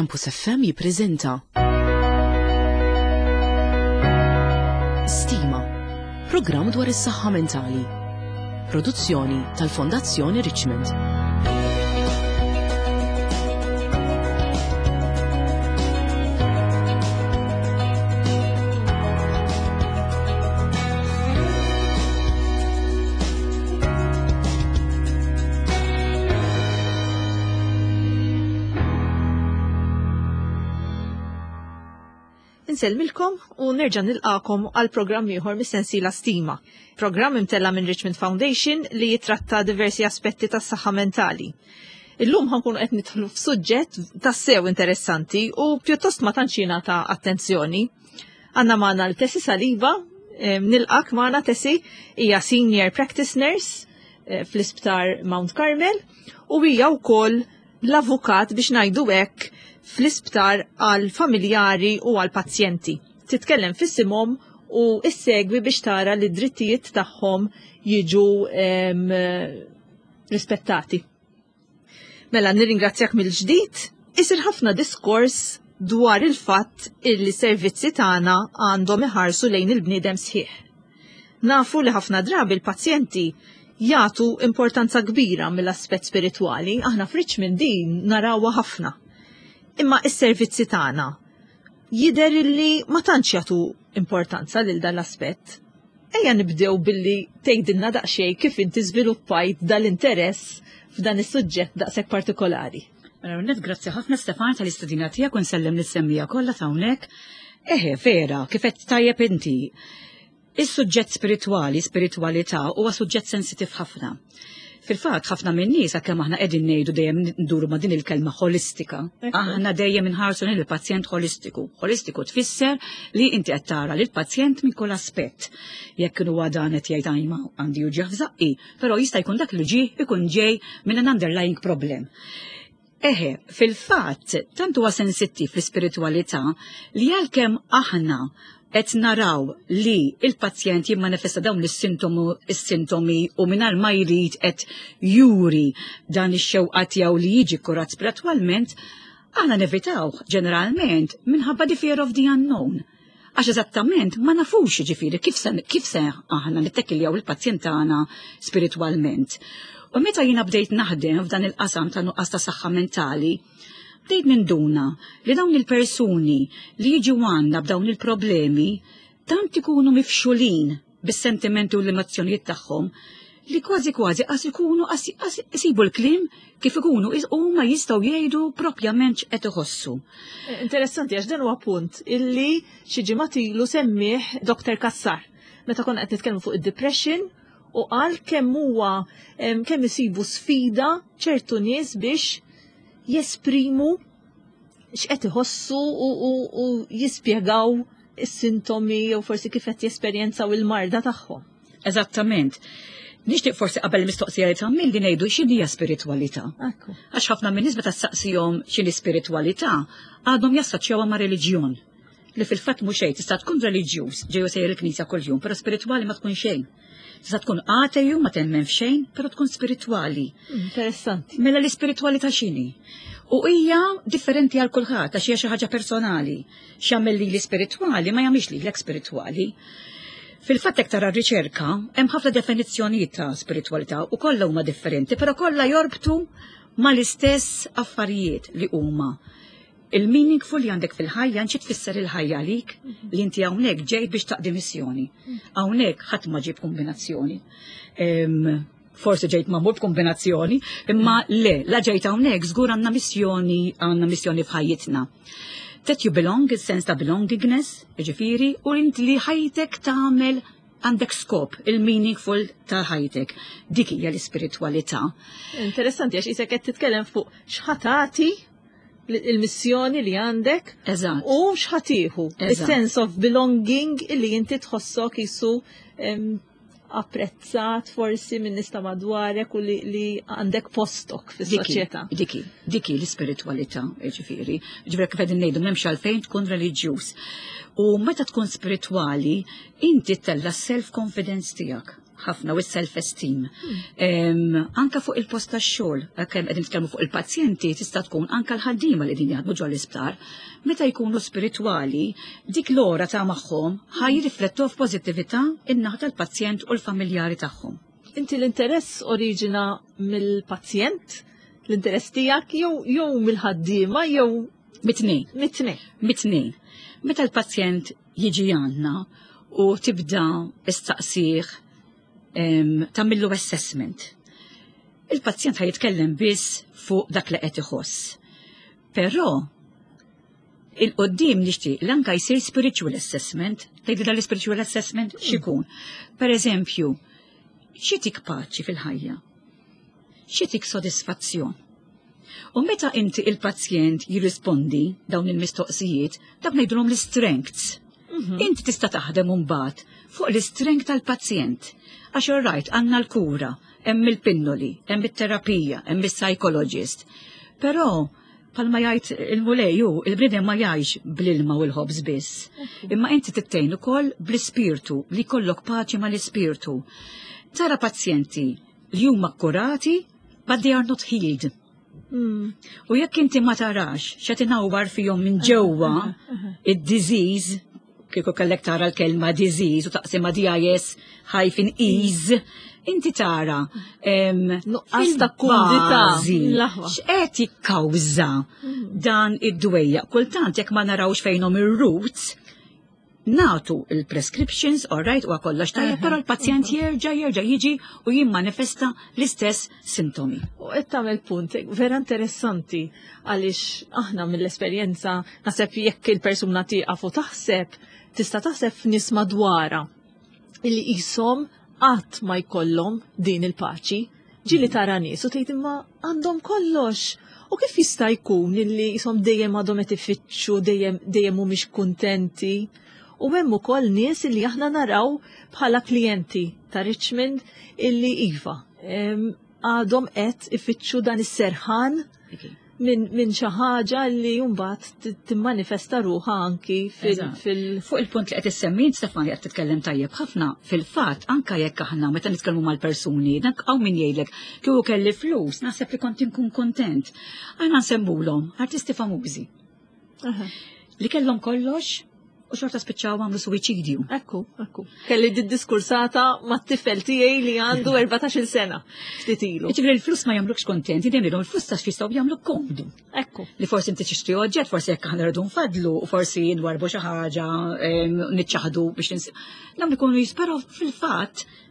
Campus FM jippreżenta Stima, programm dwar is-saħħa mentali. Produzzjoni tal-Fondazzjoni Richmond. Insellmilkom u nerġa' nilqakom għal programm ieħor mis-sensiela Stima. Programm imtella minn Richmond Foundation li jitratta diversi aspetti tas-saħħa mentali. Illum ħankunu qed nidħlu f'suġġett tassew interessanti u pjuttost ma tantx jingħata attenzjoni. Għandna magħna l-Tesi Saliba, nilqak magħna Tesi, hija Senior Practice Nurse eh, fl-Isptar Mount Carmel u hija wkoll l-avukat biex ngħidu hekk fl-isptar għal familjari u għal pazjenti. Titkellem fissimhom u issegwi biex tara li d-drittijiet tagħhom jiġu rispettati. Mela nirringrazzjak mill-ġdid, isir ħafna diskors dwar il-fatt illi servizzi tagħna għandhom iħarsu lejn il-bniedem sħiħ. Nafu li ħafna drabi l-pazjenti jagħtu importanza kbira mill-aspett spiritwali, aħna f'Richmond din narawha ħafna. Imma is-servizzi tagħna jidher illi ma tantx jagħtu importanza lil dan l-aspett. Ejja nibdew billi tgħidilna daqsxejn kif inti żviluppajt dal-interess f'dan is-suġġett daqshekk partikolari. Mela net grazzi ħafna Stefan tal-istudina tiegħek u nsellem lis-semmija kollha ta' hawnhekk. Eħe, vera, kif qed tajjeb inti. Is-suġġett spiritwali, spiritwalità, huwa suġġett sensitiv ħafna. Fil-fatt, ħafna minn nies kemm aħna qegħdin ngħidu dejjem nduru ma' din il-kelma ħolistika. Aħna dejjem inħarsu lejn il-pazjent ħolistiku. Ħolistiku tfisser li inti qed tara lil pazjent minn kull aspett. Jekk huwa dan qed jgħid għajma għandi uġigħ f'żaqqi, però jista' jkun dak li ġie ikun ġej minn an underlying problem. Eħe, fil-fatt, tant huwa sensittiv l-ispiritwalità li għalkemm aħna qed naraw li il-pazjent jimmanifesta dawn is-sintomi u mingħajr ma jrid qed juri dan ix-xewqa tiegħu li jiġi kurat spiritwalment, aħna nevitaw ġeneralment minħabba the fear of the unknown. Għax eżattament ma nafux ġifieri kif se, kif se aħna nittekiljaw il-pazjent tagħna spiritwalment. U meta jiena bdejt naħdem f'dan il-qasam ta' nuqqas ta' saħħa mentali, bdejt ninduna li dawn il-persuni li jiġu għandna b'dawn il-problemi tant ikunu mifxulin bis-sentimenti u l-emozzjonijiet tagħhom li kważi kważi qas ikunu qas isibu l-kliem kif ikunu huma jistgħu jgħidu propjament x'qed iħossu. Eh, interessanti għax dan huwa punt illi xi ġimgħat ilu semmih Dr. Kassar meta konna qed nitkellmu fuq id-depression u qal kemm huwa kemm isibu sfida ċertu nies biex jesprimu x'qed iħossu u jispjegaw is-sintomi jew forsi kif qed jesperjenzaw il-marda tagħhom. Eżattament. Nixtieq forsi qabel mistoqsija li tagħmel li ngħidu x'inhi hija spiritwalità. Għax ħafna minn nies meta ssaqsihom x'inhi spiritwalità għadhom jassoċjawha ma' reliġjon li fil-fatt mhux xejn tista' tkun reliġjuż ġew sejjer il-knisja kuljum, però spiritwali ma tkun xejn. Tista' tkun ateju ma temmen f'xejn, però tkun spiritwali. Interessanti. Mela l-ispiritwalità x'inhi? U hija differenti għal kulħadd għax hija xi ħaġa personali. X'jagħmel lili spiritwali ma jagħmilx lilek spiritwali. Fil-fatt hekk tara r-riċerka, hemm ħafna definizzjonijiet ta' spiritwalità u kollha huma differenti, però kollha jorbtu mal-istess affarijiet li huma il-meaningful li għandek fil-ħajja, xi tfisser il-ħajja għalik li inti hawnhekk ġej biex taqdi missjoni. Hawnhekk ħadd ma ġib kombinazzjoni. Forsi ġejt magħmul b'kombinazzjoni, imma le, la ġejt hawnhekk żgur għandna missjoni, għandna missjoni f'ħajjitna. That you belong, il-sens ta' belongingness, ġifieri, u inti li ħajtek tagħmel għandek skop, il-meaningful ta' ħajtek. Dik hija l-ispiritwalità. Interessanti għax isek qed titkellem fuq x'ħatati il-missjoni li għandek Eżatt. u x'ħatiħu. Il-sense of belonging illi inti tħossok jisu apprezzat forsi minn nista madwarek u li, li għandek postok fis-soċjetà. Diki, diki l-ispiritwalità, ġifieri. Ġifieri kif qegħdin ngħidu m'hemmx għalfejn tkun reliġjuż. U meta tkun spiritwali, inti tella self-confidence tiegħek. ħafna u self-esteem. Anka fuq il-post tax-xogħol, kemm qegħdin nitkellmu fuq il-pazjenti, tista' tkun anka l-ħaddiema li qegħdin jaħdmu ġol-isptar, meta jkunu spiritwali, dik l-ora ta' magħhom ħa jirriflettu f'pożittività in-naħa tal-pazjent u l-familjari tagħhom. Inti l-interess oriġina mill-pazjent, l-interess tiegħek jew mill-ħaddiema jew Mit-tnejn. Mit-tnejn. Mit-tnejn. Meta l-pazjent jiġi għandna u tibda istaqsih tagħmillu assessment. Il-pazjent ħa jitkellem biss fuq dak li qed iħoss. Però il-qoddim nixtieq li anka jsir spiritual assessment, tgħidi dan l-spiritual assessment x'ikun. Per eżempju, xi tik paċi fil-ħajja? Xi tik sodisfazzjon? U meta inti il-pazjent jirrispondi dawn il-mistoqsijiet, dak ngħidulhom l-strengths. Inti tista' taħdem mbagħad fuq l-strength tal-pazjent. Għax all right, għandna l-kura, hemm il-pinnoli, hemm it-terapija, hemm il-psychologist. Però palma jgħid il-Mulej, il-bniedem ma jgħix bl-ilma u l-ħobż biss. Imma inti tittejn ukoll bl-ispirtu, li jkollok paċi mal-ispirtu. Tara pazjenti li huma kurati, but they are not healed. U jekk inti ma tarax x'qed inawwar fihom minn ġewwa id-disease, kieku kellek tara l-kelma disease u taqsima DIS hyphen ease, inti tara Nuqqas ta' kumdità. fil-bażi L-aħwa. x'qed jikkawża dan id-dwejja. Kultant jekk ma narawx fejnhom ir-roots, natu il-prescriptions, all right, u kollox tajjeb, però l-pazjent jerġa' jiġi u jimmanifesta l-istess sintomi. U qed tagħmel punt vera interessanti għaliex aħna mill-esperjenza naħseb jekk il-persuna tieqaf u taħseb, tista' taħseb f'nies madwarha illi qishom qatt ma jkollhom din il-paċi. Ġieli tara nies u tgħid imma għandhom kollox. U kif jista' jkun illi qishom dejjem għadhom qed ifittxu, dejjem mhumiex kuntenti. U hemm ukoll nies illi aħna naraw bħala klijenti ta' Richmond illi iva, għadhom qed ifittxu dan is-serħan minn xi ħaġa li mbagħad timmanifesta ruħha anki fil Fuq il-punt li qed issemmi Stefani, qed titkellem tajjeb ħafna, fil-fatt anka jekk aħna meta nitkellmu mal-persuni, dak hawn min jgħidlek kieku kelli flus, naħseb li kont inkun kontent. Aħna nsemmulhom artisti famużi li kellhom kollox u xorta spiċċaw għamlu suwiċidju. Ekku. Kelli di diskursata ma' t-tifel tiegħi li għandu 14 sena. Ftit ilu. Ġifieri l-flus ma jagħmlukx kontent, dejjem ngħidilhom il-flus ta' jistgħu jagħmlu komdu. Li forsi inti tixtri oġġett, forsi jekk aħna rridu nfadlu, u forsi nwarbu xi ħaġa, niċċaħdu biex dawn ikunu jisperaw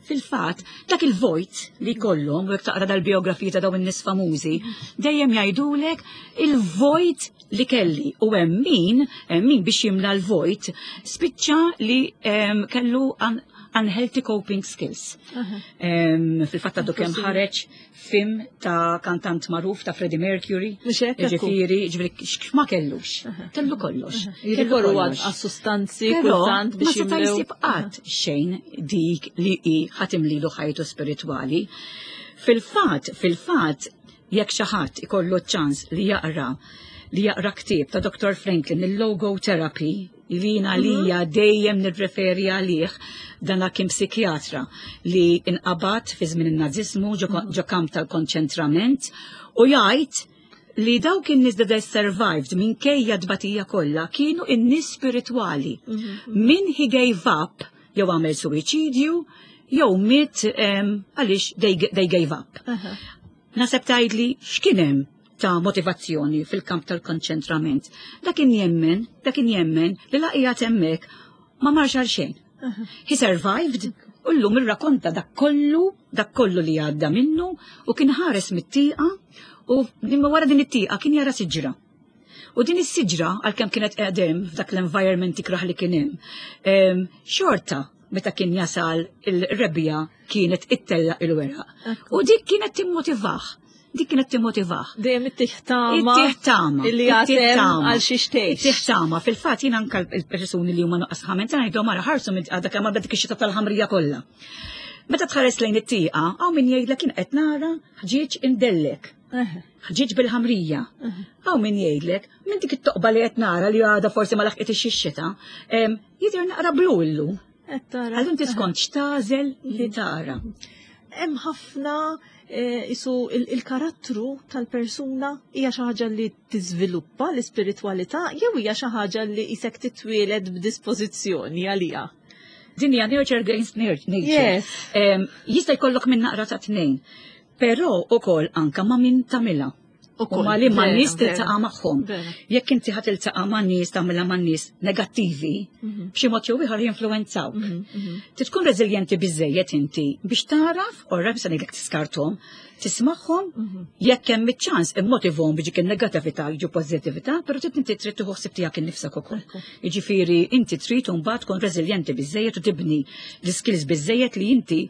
fil-fatt, dak il-vojt li kollhom, u jekk taqra dal-biografiji ta' dawn in-nies famużi, dejjem jgħidulek il-vojt li kelli. U hemm min biex jimla l-vojt, spiċċa li kellu unhealthy coping skills. Fil-fatt għadu kemm ħareġ film ta' kantant magħruf ta' Freddie Mercury. Mhux hekk, ekku. Ġifieri, ma kellux. Kellu kollox. Kellu Jirrikorru kollox. għas-sustanzi Però kultant ma biex seta' jimlew. jsib qatt xejn dik li hi ħa timlilu ħajtu spiritwali. Fil-fatt, jekk xi ħadd ikollu ċans li jaqra ktieb ta' Dr. Franklin, il-Logotherapy, li jiena lija dejjem nirreferi għalih, dana kien psikjatra li inqabad fi żmien in-Naziżmu ġo kamp tal-konċentrament u jgħid li dawk in-nies that they survived minkejja tbatija kollha kienu in-nies spiritwali. Min he gave up jew għamel suwiċidju jew miet għaliex they gave up. Naħseb tgħidli x'kien hemm ta' motivazzjoni fil-kamp tal-konċentrament. Dak kien jemmen li la qiegħed hemmhekk ma marx għal xejn. He survived u llum irrakonta dak kollu li għadda minnu u kien ħares mit-tieqa u imma wara din it-tieqa kien jara siġra. U din is-siġra, għalkemm kienet qegħdem f'dak l-environment ikraħ li kien hemm, xorta meta kien jasal il-rebbiegħa kienet ittella il-weraq. U dik kienet timmotivah. Dik kienet timmotivah. Dejjem ittih tama. Ittih tama. Illi Ittih għatem tama. għal xi xtejx. Ittih tama. Fil-fatt jien anka l-persuni li huma nuqqas ħamen ta' ngħidhom ara ħarsu minn għadha kemm għadha dik ix-xita tal-ħamrija kollha. Meta tħares lejn it-tieqa, hawn min jgħidlek kien qed nara ħġieġ indellek. Ħġieġ bil-ħamrija. Hawn min jgħidlek minn dik it-toqba li qed nara li għadha forsi ma laħqet ix-xita, jidher naqra blu illum. Allura inti skont x'tagħżel li tara. Hemm ħafna eh, isu il-karattru tal-persuna hija xi ħaġa li tiżviluppa l-ispiritwalità jew hija xi ħaġa li isek titwieled b'dispożizzjoni għaliha. Din hija nurture against nature. Yes. Jista' jkollok minn naqra ta' tnejn, però ukoll anka ma' min tagħmilha. U ma li ma nies tiltaqa' magħhom. Jekk inti ħa tiltaqa' ma' nies tagħmilha ma' nies negattivi, mhm. b'xi mod jew ieħor jinfluwenzawk. Mhm, mhm. Trid tkun reżiljenti biżejjed inti biex taraf, orra se ngħidlek tiskarthom, tismagħhom, jekk hemm iċ-ċans immotivhom biex dik in-negattività jiġu pożittività, però trid inti trid tieħu ħsieb tiegħek innifsek ukoll. Jiġifieri inti trid imbagħad tkun reżiljenti biżejjed u tibni l-iskills biżejjed li inti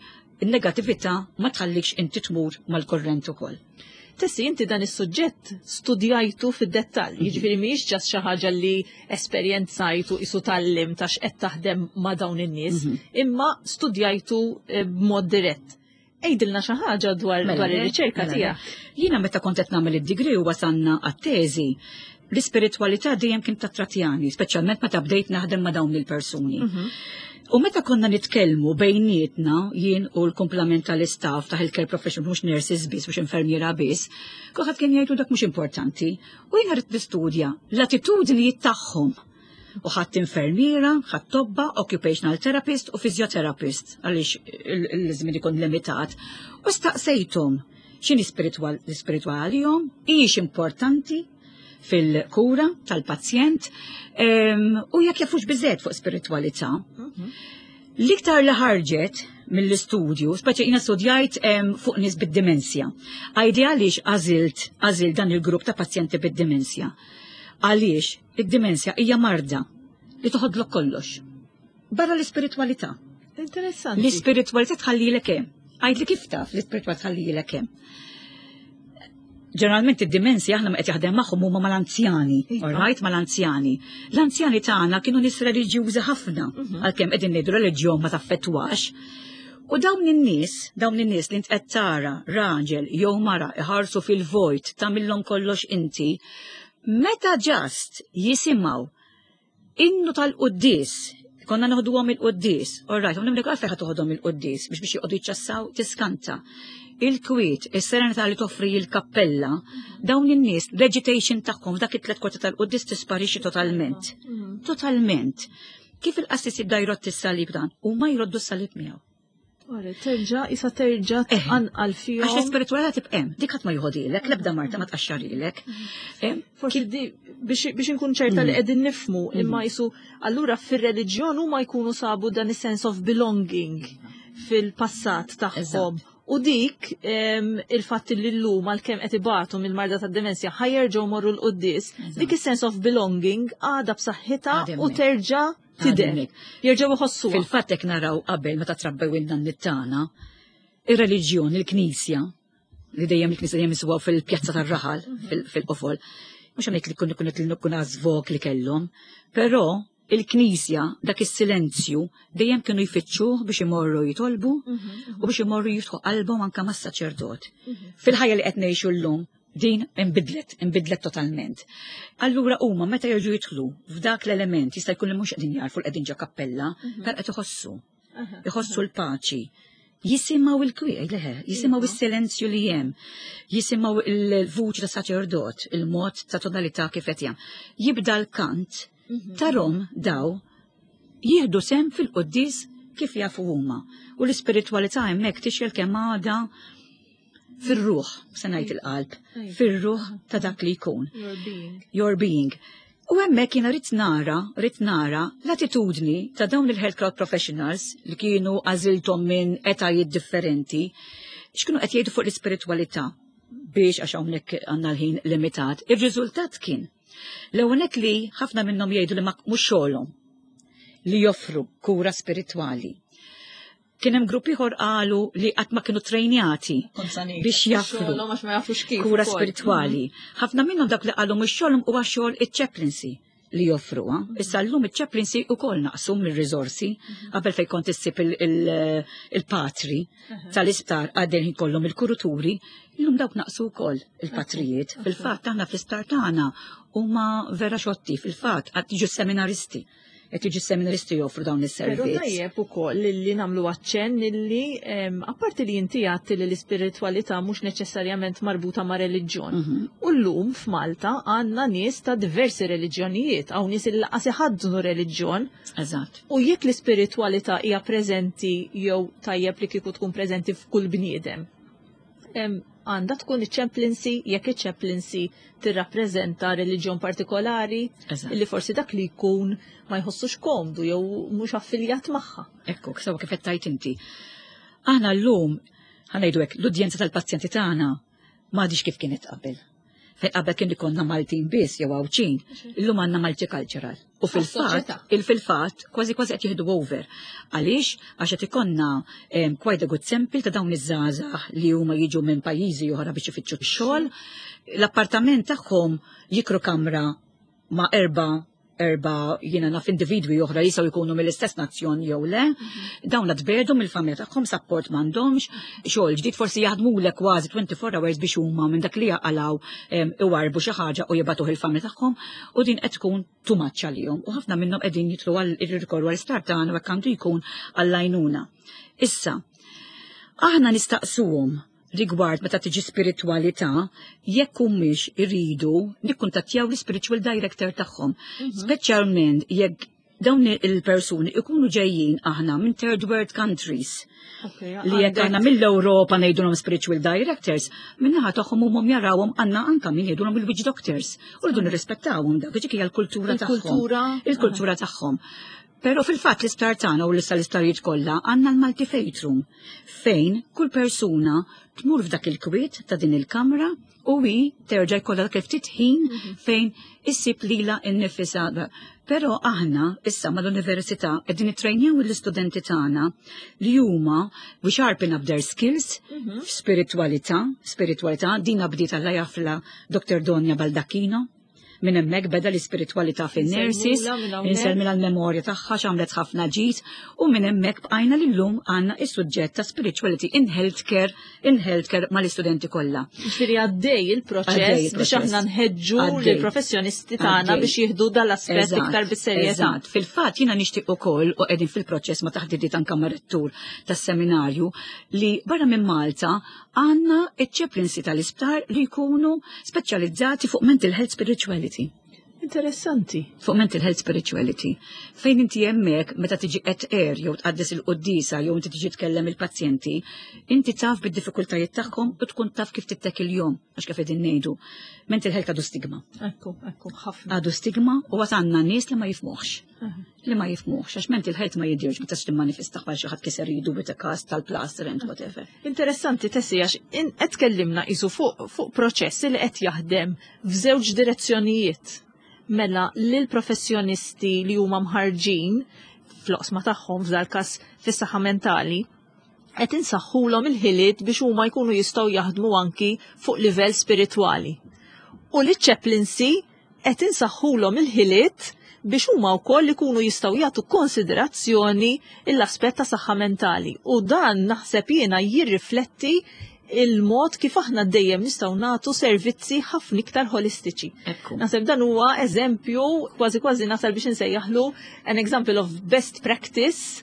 in-negattività ma tħallikx inti tmur mal-kurrent ukoll. Tessi, inti dan is-suġġett studjajtu fid-dettall, mhm. jiġifieri mhijiex ġas xi ħaġa li esperjenzajtu isu tallim ta' x'qed taħdem ma' dawn in-nies, mhm. imma studjajtu eh, b'mod dirett. Ejdilna xi ħaġa dwar mela, dwar ir-riċerka mela, tiegħek. Jiena meta kont qed nagħmel id-degree u wasalna għat-teżi, l-ispiritwalità dejjem kien tattratjani, speċjalment meta bdejt naħdem ma' dawn il-persuni. Mhm. U meta konna nitkellmu bejnietna, jien u l-kumplament tal-istaff ta' healthcare profession, mhux nurses biss, mhux infermiera biss, kulħadd kien jgħidu dak mhux importanti. U jiena rrid nistudja l-attitudnijiet tagħhom. U ħadd infermiera, ħadd tobba, occupational therapist u physiotherapist, għaliex il-żmien ikun limitat. U staqsejthom x'inhi l-ispiritwal għalihom, hijiex importanti fil-kura tal-pazjent u jekk jafux biżgħet fuq spiritwalità. Mhm. L-iktar li ħarġet mill-istudju, speċi jina studjajt fuq nies bid-dimensja. Għajdi għaliex għażilt għażilt dan il-grupp ta' pazjenti bid-dimensja. Għaliex id-dimensja hija marda li toħodlok kollox. Barra l-ispiritwalità. Interessanti. L-ispiritwalità tħallilek hemm. Għajd li kif taf l-ispiritwalità tħallilek hemm. Ġeneralment id-dimensja aħna ma qed jaħdem magħhom huma mal-anzjani, iva. alright, mal-anzjani. L-anzjani tagħna kienu nies reliġjużi ħafna, mhm. għalkemm qegħdin ngħidu reliġjon ma taffettwax. U dawn in-nies, dawn in-nies li qed tara raġel jew mara iħarsu fil-vojt tagħmilhom kollox inti, meta ġast jisimgħu Innu tal-quddies, konna noħduhom il-quddies, all right, u għalfejn ħa toħodhom il-quddies biex biex joqogħdu jiċċassaw tiskanta. Il-kwiet, is-serenità li toffri il-kappella, dawn in-nies, l-agitation tagħhom f'dak it-tlet kwarta tal-quddies tisparixxi totalment. Mm. Totalment. Kif il-qassis jibda jrott is-salib dan, huma jroddu s-salib miegħu. Terġa, isa terġa tqanqal fihom. Għax l-ispiritwalità tibqa' hemm, dik ħadd ma joħodilek, l-ebda marta ma tqaxxarilek. Mm. Forsi biex inkun ċerta li mm. qegħdin nifmu, mm. imma jisu allura fir-reliġjon huma jkunu sabu dan is-sense of belonging fil-passat tagħhom. U dik il-fatt li llum għalkemm qed ibatu mill-marda tad-demenzja ħajerġgħu morru l-quddis, dik is-sense of belonging għadha b'saħħitha u terġa' Tidher. Jerġgħu iħossuha. Fil-fatt hekk naraw qabel meta trabbew in-nanniet tagħna, ir-reliġjon, il-Knisja, li dejjem il-Knisja dejjem isuha fil-pjazza tar-raħal, mhm. fil-qofol. Mhux għamlet li kun kun kun għażvok li kellhom, però il-Knisja dak is-silenzju dejjem kienu jfittxuh biex imorru jitolbu mhm, mhm. u biex imorru jiftħu qalbhom anke mas-saċerdot. Fil-ħajja li qed ngħixu llum Din inbidlet, inbidlet totalment. Allura huma meta jerġgħu jidħlu f'dak l-element jista' jkun li mhux qegħdin jarfu l qegħdin ġo kappella, mhm. per qed iħossu. Iħossu l-paċi. Jisimgħu il-kwiet, leħe, jisimgħu iva. is-silenzju li hemm, jisimgħu il-vuċi ta' saċerdot, il-mod ta' tonalità kif qed jagħmel. Jibda l-kant, mhm. tarom daw jieħdu sem fil-quddis kif jafu huma. U l-ispiritwalità hemmhekk tixjel kemm għada fir-ruħ, se ngħid il-qalb, fir-ruħ ta' dak li jkun. Your being. Your being. U hemmhekk jiena rrid nara, rrid nara l-attitudni ta' dawn il-health crowd professionals li kienu għażilthom minn etajiet differenti, x'kienu qed jgħidu fuq l-ispiritwalità biex għax hawnhekk għandna l-ħin limitat. Ir-riżultat kien l-ewwel li ħafna minnhom jgħidu li ma mhux xogħolhom li joffru kura spiritwali. Kien hemm grupp ieħor qalu li qatt ma kienu trejnjati biex jaffru kura spiritwali. Mhm. Ħafna minnhom dak li qalu mhux xogħolhom huwa xogħol iċ-chaplaincy li joffruha. Mhm. Issa llum iċ-chaplaincy ukoll naqsu mir-riżorsi mhm. qabel fejn kont issib il-patri tal-isptar għaddejn kollhom il-kuruturi, illum dawk naqsu wkoll il-patrijiet. Fil-fatt aħna fl-isptar tagħna huma vera xotti, fil-fatt għad jiġu seminaristi. Qed jiġu seminaristi joffru dawn is-servizz. Però tajjeb ukoll li nagħmlu aċċenn illi apparti li inti għedt li l-ispiritwalità mhux neċessarjament marbuta ma' reliġjon. U llum f'Malta għandna nies ta' diversi reliġjonijiet, hawn nies li lanqas iħaddnu reliġjon. U jekk l-ispiritwalità hija preżenti jew tajjeb li kieku tkun preżenti f'kull bniedem, għandha tkun iċ-chaplaincy, jekk iċ-chaplaincy tirrappreżenta reliġjon partikolari, li forsi dak li jkun ma jħossux komdu jew mhux affiljat magħha. Ekku, sewa kif qed tgħid inti. Aħna llum, ħa ngħidu hekk, l-udjenza tal-pazjenti tagħna m'għadix kif kienet qabel. Fejn qabel kien ikollna Maltin biss jew Għawdxin, illum għandna multicultural. U fil-fatt kważi kważi qed jieħdu over. Għaliex? Għax qed ikollna quite a good sample ta' dawn iż-żgħażagħ li huma jiġu minn pajjiżi oħra biex ifittxu x-xogħol. L-appartament tagħhom jikru kamra ma' erba' jiena naf individwi oħra jistgħu jkunu mill-istess nazzjon jew le. Dawn tbiegħdu mill-familja tagħhom, support m'għandhomx, xogħol ġdid forsi jaħdmulek kważi 24 hours biex huma minn dak li jaqalgħu iwarbu xi ħaġa u jibagħtuh il-familja tagħhom, u din qed tkun too much għalihom. U ħafna minnhom qegħdin jitlu għal irrikorru għall-isptar tagħna u hekk għandu jkun għall-għajnuna. Issa, aħna nistaqsuhom rigward meta tiġi spiritualità, jekk humiex iridu nikkuntattjaw l-spiritual director tagħhom. Speċjalment jekk dawn il-persuni ikunu ġejjin aħna minn third world countries. Li jekk aħna mill-Ewropa ngħidulhom spiritual directors, minnaħa tagħhom huma jarawhom għandna anka min jgħidulhom il-witch doctors. U rridu nirrispettawhom dak, dik hija l-kultura tagħhom. Il-kultura. Il-kultura tagħhom. Però fil-fatt l-isptar tagħna u l-issa l-isptarijiet kollha għandna l-multi-faith room fejn kull persuna tmur f'dak il-kwiet ta' din il-kamra u hi terġa' jkollha dak il-ftit ħin fejn issib lilha nnifisha. Però aħna issa mal-università qegħdin nittrejnjaw l-istudenti tagħna li huma we sharpen up their skills f'spiritualità, spiritualità dina bdiet Alla jafla Dr. Donja Baldacchino. Minn hemmhekk beda l-ispiritualità fin-nurses, Insellmula minn hawnhekk. insellmilha l-memorja tagħha x'għamlet ħafna ġid, u minn hemmhekk bqajna lillum għandna is-suġġett ta' spirituality in healthcare mal-istudenti kollha. Ġifieri għaddej il-proċess Għaddej biex il-proċess. aħna nħeġġu lill-professjonisti tagħna biex jieħdu dal-aspett iktar bis-serjetà. Eżatt. Fil-fatt jiena nixtieq ukoll u qegħdin fil-proċess ma' taħdidiet anke mar-rettur tas-seminarju li barra minn Malta għandna iċ-chaplaincy tal-isptar li jkunu speċjalizzati fuq mental health spirituality. Interessanti. Fuq mental health spirituality. Fejn inti hemmhekk meta tiġi qed air jew tqaddes il-quddisa jew inti tiġi tkellem il-pazjenti, inti taf bid-diffikultajiet tagħhom u tkun taf kif tittekilhom, għax kif qegħdin ngħidu. Mental health għadu stigma. Ekku, ekku, ħafna. Għadu stigma u għad għandna nies li ma jifhmuhx. Li ma jifhmuhx, għax mental health ma jidirx meta timmanifesta bħal xi ħadd kiser idu bit kas tal-plaster and whatever. Interessanti Tessie, għax qed tkellimna qisu fuq proċess li qed jaħdem f'żewġ direzzjonijiet. Mela lil professjonisti li huma mħarġin fl-oqsma tagħhom f'dal każ fis-saħħa mentali, qed insaħħulhom il-ħiliet biex huma jkunu jistgħu jaħdmu anki fuq livell spiritwali. U li chaplaincy qed insaħħulhom il-ħiliet biex huma wkoll ikunu jistgħu jagħtu konsiderazzjoni l-aspett ta' saħħa mentali. U dan naħseb jiena jirrifletti il-mod kif aħna dejjem nistgħu nagħtu servizzi ħafna iktar holistiċi. Naħseb dan huwa eżempju kważi kważi nasal biex insejjaħlu an example of best practice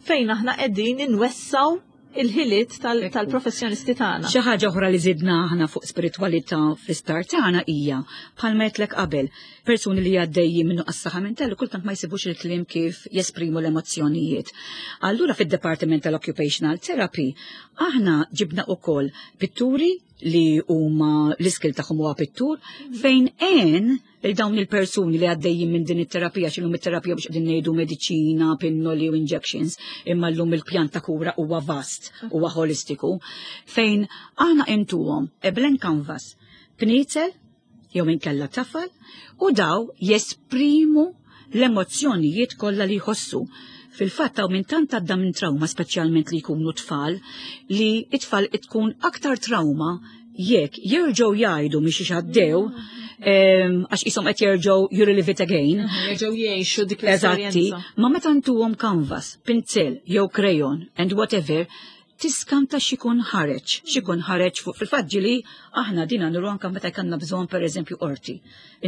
fejn aħna qegħdin inwessaw il-ħiliet tal-professjonisti tagħna. Xi ħaġa oħra li żidna aħna fuq spiritualità fl-isptar tagħna hija bħalma għedtlek qabel, persuni li għaddejjin minnu għas-saħħa mentali kultant ma jsibux il-kliem kif jesprimu l-emozzjonijiet. Allura fid-Departiment tal-Occupational Therapy aħna ġibna ukoll pitturi li huma l-iskill tagħhom huwa pittur fejn għen il dawn il-persuni li għaddejjin minn din it-terapija, x'inhum it-terapija biex qegħdin ngħidu mediċina, pinnoli u injections, imma llum il-pjan ta' kura huwa vast, huwa holistiku, fejn aħna intuhom a blank canvas, pnizel, jew inkella tafal, u daw jesprimu l-emozzjonijiet kollha li jħossu. Fil-fatt hawn minn tant għadda minn trauma, speċjalment li jkunu tfal, li it-tfal tkun aktar trauma jekk jerġgħu jgħidu mhix għaddew, għax qishom qed jerġgħu you relive it again. Jerġgħu jgħixu dik Eżatti, l-esperjenza. ma meta ntuhom canvas, pinzel jew crayon and whatever, Tiskanta x'ikun ħareġ, x'ikun ħareġ fuq fil-fatt ġieli aħna dina nuru anke meta jkollna bżonn pereżempju qorti.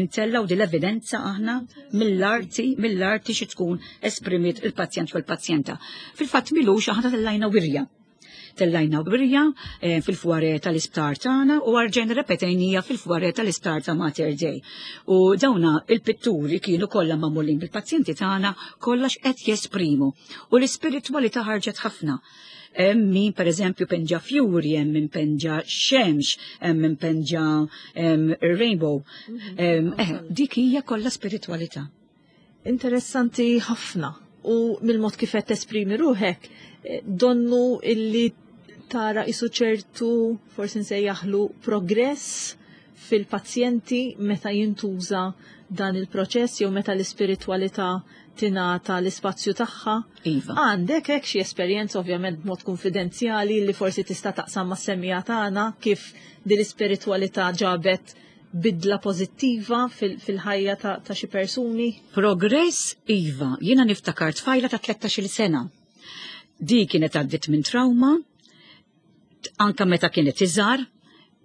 Intellaw din l-evidenza aħna mill-arti, mill-arti xi tkun esprimiet il-pazjent u l-pazjenta. Fil-fatt milux aħna tellajna wirja. Tellajna wirja eh, fil-fware tal-isptar tagħna u arġejna repetejnija fil-fware tal-isptar ta' Mater Dei. U dawna il-pitturi kienu kollha magħmulin bil-pazjenti tagħna kollha x'qed jesprimu. U l-ispiritwalità ħarġet ħafna. Hemm min pereżempju penġa fjuri, hemm min penġa xemx, hemm min penġa rainbow. Mhm. Eh, dik hija kollha spiritwalità. Interessanti ħafna u mill-mod kif qed tesprimi ruħek, eh, donnu illi tara isu ċertu forsi nsejjaħlu progress fil-pazjenti meta jintuża dan il-proċess jew meta l-ispiritwalità tingħata l-ispazju tagħha. Iva. Għandek hekk xi esperjenza ovvjament b'mod kunfidenzjali li forsi tista' taqsam mas-semmiegħa tagħna kif din l-ispiritwalità ġabet bidla pożittiva fil-ħajja ta' xi persuni? Progress iva, jiena niftakar tfajla ta' 13-il sena. Di kienet għaddiet minn trauma, anka meta kienet iżgħar,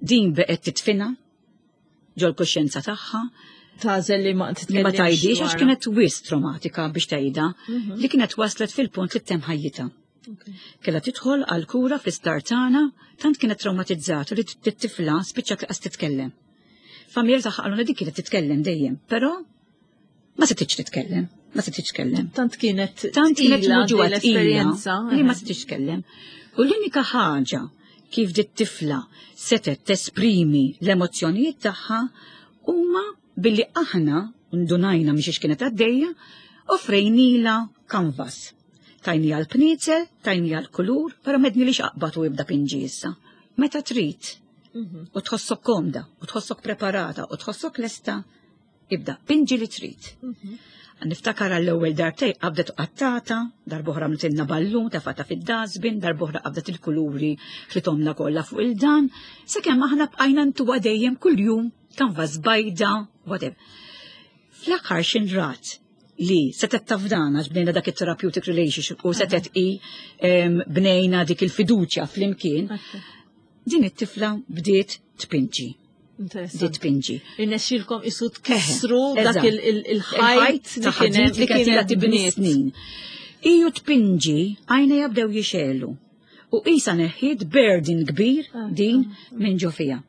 din beqgħet titfina ġol-kuxjenza tagħha. Tagħżel li ma li ma tgħidix għax kienet wis traumatika biex tgħidha mhm. li kienet waslet fil-punt li tem ħajjitha. Kella tidħol għal kura fl-isptar tagħna tant kienet traumatizzata li t-tifla spiċċat li titkellem. Familja tagħha qalulna dik kienet titkellem dejjem, però ma setgħetx titkellem, ma setgħetx tkellem. Tant kienet tant kienet muġugħa l-esperjenza li ma setgħetx tkellem. U l-unika ħaġa kif dit tifla setgħet tesprimi l-emozzjonijiet tagħha huma billi aħna ndunajna miex kienet għaddejja, offrejnila canvas. Tajni għal pnizel, tajni għal kulur, pero medni li xaqbat u ibda pinġi issa. Meta trid, mhm. u tħossok komda, u tħossok preparata, u tħossok lesta, Ibda, pinġi li trid. Mhm. Niftakar għall-ewwel darbtej qabdet qattata, darbohra mtilna ballun tafata fid-dasbin, darbohra qabdet il-kuluri ħlitomna kollha fuq il-dan, sakemm aħna bqajna ntuwa dejjem kuljum kanvas bajda, whatever. Fl-aħħar xinrat li setet tafdana għax bnejna dak it-therapeutic relationship u setet i bnejna dik il-fiduċja fl-imkien, din it-tifla bdiet tpinġi. Di tpinġi. Irnexxilkom isu tkissru dak il-ħajt li kienet li kienet tibni snin. Iju tpinġi għajna jabdew jixelu. U isa neħħiet burden kbir ah, din ah. minn ġo fija.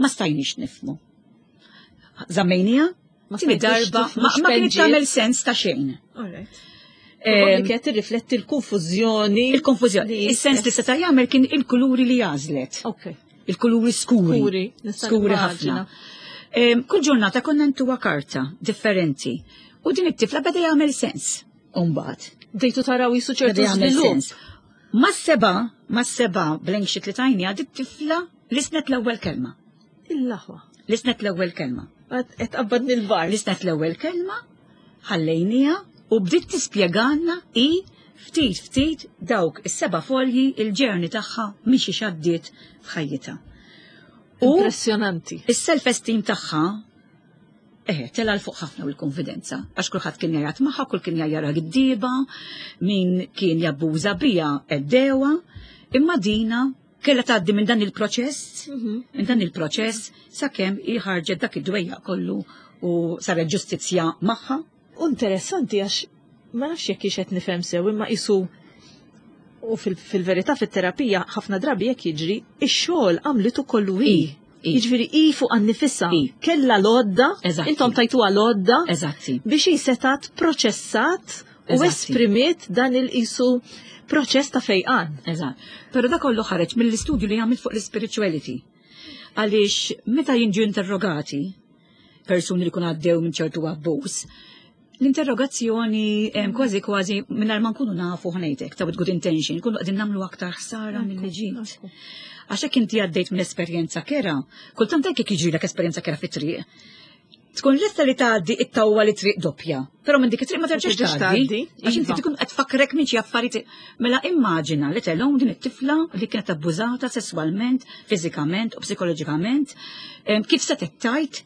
Ma stajniex nifmu. Zammejnija, Tini darba, ma kienet tagħmel sens ta' xejn. Li kienet tirrifletti l-konfużjoni. Il-konfużjoni. Is-sens li seta' jagħmel kien il-kuluri li għażlet. Il-kuluri skuri. Skuri ħafna. Kull ġurnata konna ntuwa karta differenti. U din it-tifla beda jagħmel sens. Umbagħad. Bdejtu taraw jisu ċertu żvilupp. Ma seba, ma seba blank sheet li tajni għad it-tifla lisnet l-ewwel kelma. Il-laħwa. Lisnet l-ewwel kelma. Qed qabbadni l-bar. Lisnet l-ewwel kelma, ħallejniha u bdiet tispjegalna i ftit ftit dawk is-seba' folji il-ġerni tagħha mixi xaddiet f'ħajjitha. U Impressjonanti. Is-self-esteem tagħha eh, tela l fuq ħafna u l-konfidenza, għax kulħadd kien jgħajat magħha, kull kien jgħajjarha giddieba, min kien jabbuża bija eddewa, imma dina Kellha tgħaddi minn dan il-proċess, mhm. minn dan il-proċess sakemm hi ħarġet dak id-dwejjaq kollu u saret ġustizzja magħha. Interessanti għax ma nafx jekk qed nifhem sew imma isu u fil-verità fit-terapija ħafna drabi jekk jiġri ix-xogħol għamlitu kollu hi. Jiġifieri hi fuq għan-nifisha kellha l-għodda, intom tajtuha l-għodda biex hi setat proċessat u esprimiet dan il-qisu proċess ta' fejqan. Eżatt. Però da kollu ħareġ mill-istudju li għamilt fuq l-spirituality. Għaliex meta jinġu interrogati persuni li kun għaddew minn ċertu abbuż, l-interrogazzjoni kważi kważi mingħajr ma nkunu nafu ħnejtek ta' with good intention, nkunu qegħdin nagħmlu aktar ħsara milli ġid. Għax hekk inti għaddejt minn esperjenza kera, kultant hekk jiġrilek esperjenza kera fit-triq, tkun lesta li tgħaddi it-tawwa li triq doppja, però minn dik it-triq ma terġax tgħaddi. Għax inti tkun qed tfakkrek minn xi affarijiet. Mela immaġina li telhom din it-tifla li kienet abbużata sesswalment, fiżikament u psikoloġikament, kif se tgħid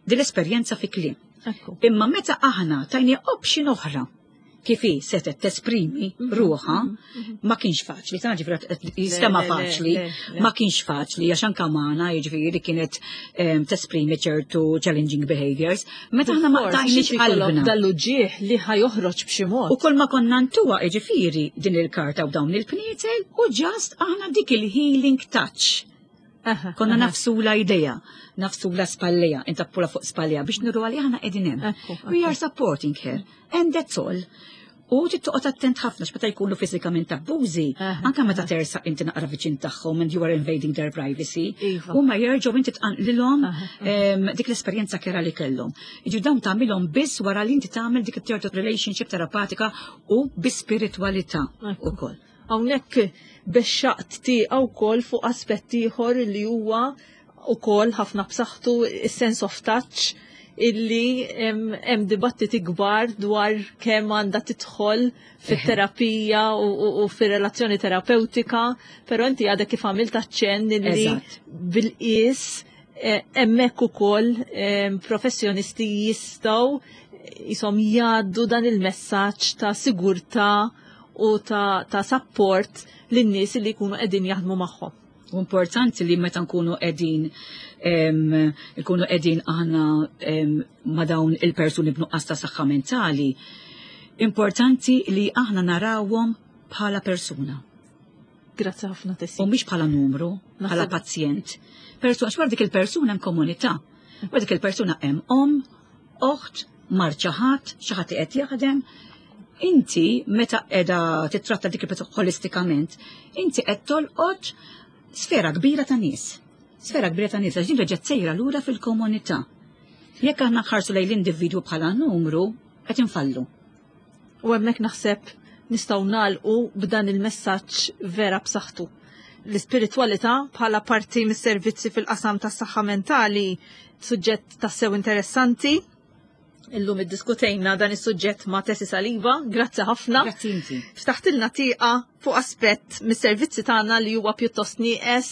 din l-esperjenza fi kliem. Imma meta aħna tajni option oħra. Kif hi setet tesprimi ruħha ma kienx faċli, ta' ġifieri jistema faċli, ma kienx faċli għax anke magħna jiġifieri kienet tesprimi ċertu challenging behaviors. Meta aħna ma qtajniex qalbna. Dal-uġigħ li ħa joħroġ b'xi mod. U kull ma konna ntuha jiġifieri din il-karta u dawn il-pnietel u just aħna dik il-healing touch. Konna nagħfsula idejha, nagħfsula spallejha, intappula fuq spallejha biex nuru għalli aħna qegħdin hemm. We are supporting her and that's all. U tittoqgħod attent ħafna x'meta jkunu fiżikament abbużi, anke meta tersaq inti naqra viċin tagħhom and you are invading their privacy, iva. huma jerġgħu inti tqanqlilhom dik l-esperjenza kerha li kellhom. Jiġu dawn tagħmilhom biss wara li inti tagħmel dik it relationship terapatika u bi spiritwalità ukoll. Hawnhekk bexxaqt tieqa wkoll fuq aspett ieħor li huwa ukoll ħafna b'saħħtu, is-sense of touch, illi hemm dibattiti kbar dwar kemm għandha tidħol fit-terapija u fir-relazzjoni terapeutika, però inti għadek kif għamilt aċċenn illi bil-qies hemmhekk ukoll professjonisti jistgħu jisom jgħaddu dan il-messaġġ ta' sigurtà u ta' support lin-nies li jkunu qegħdin jaħdmu magħhom. U importanti li meta nkunu qegħdin nkunu qegħdin aħna ma' dawn il-persuni b'nuqqas ta' saħħa mentali, importanti li aħna narawhom bħala persuna. Grazzi ħafna, Tessie. U mhix bħala numru, bħala pazjent. Persuna, xwar dik il-persuna hemm komunità. Wara dik il-persuna hemm om, oħt, mart xi ħadd, xi ħadd qed jaħdem. Inti meta qiegħda titratta dik il-persuna holistikament, inti qed tolqot sfera kbira ta' nies. Sfera kbira ta' nies, għax din reġgħet sejra lura fil-komunità. Jekk aħna nħarsu lejn l-individwu bħala numru, qed infallu. U hemmhekk naħseb nistgħu nagħlqu b'dan il-messaġġ vera b'saħħtu. L-ispiritwalità bħala parti mis-servizzi fil-qasam tas-saħħa mentali, suġġett tassew interessanti. Illum iddiskutejna dan is-suġġett ma' Tessie Saliba, grazzi ħafna. Grazzi inti. Ftaħtilna tieqa fuq aspett mis-servizzi tagħna li huwa pjuttost nieqes,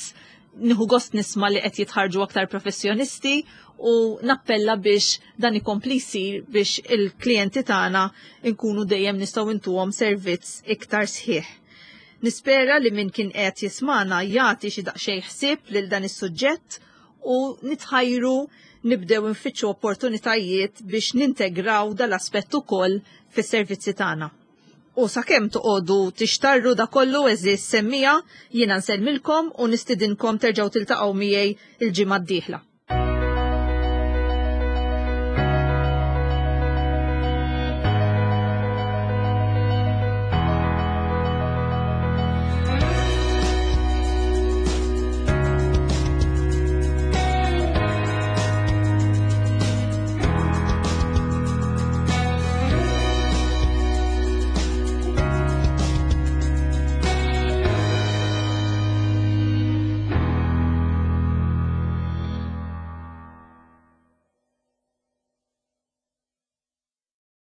nieħu gost nisma' li qed jitħarġu aktar professjonisti u nappella biex dan ikompli jsir biex il-klijenti tagħna nkunu dejjem nistgħu intuhom servizz iktar sħiħ. Nispera li min kien qed jismana jagħti xi daqsxejn ħsieb lil dan is-suġġett u nitħajru nibdew nfittxu opportunitajiet biex nintegraw dal-aspett ukoll fis-servizzi tagħna. U sakemm toqogħdu tixtarru da kollu, għeżież semmiegħa, jiena nsellmilkom u nistidinkom terġgħu tiltaqgħu miegħi il-ġimgħa d-dieħla.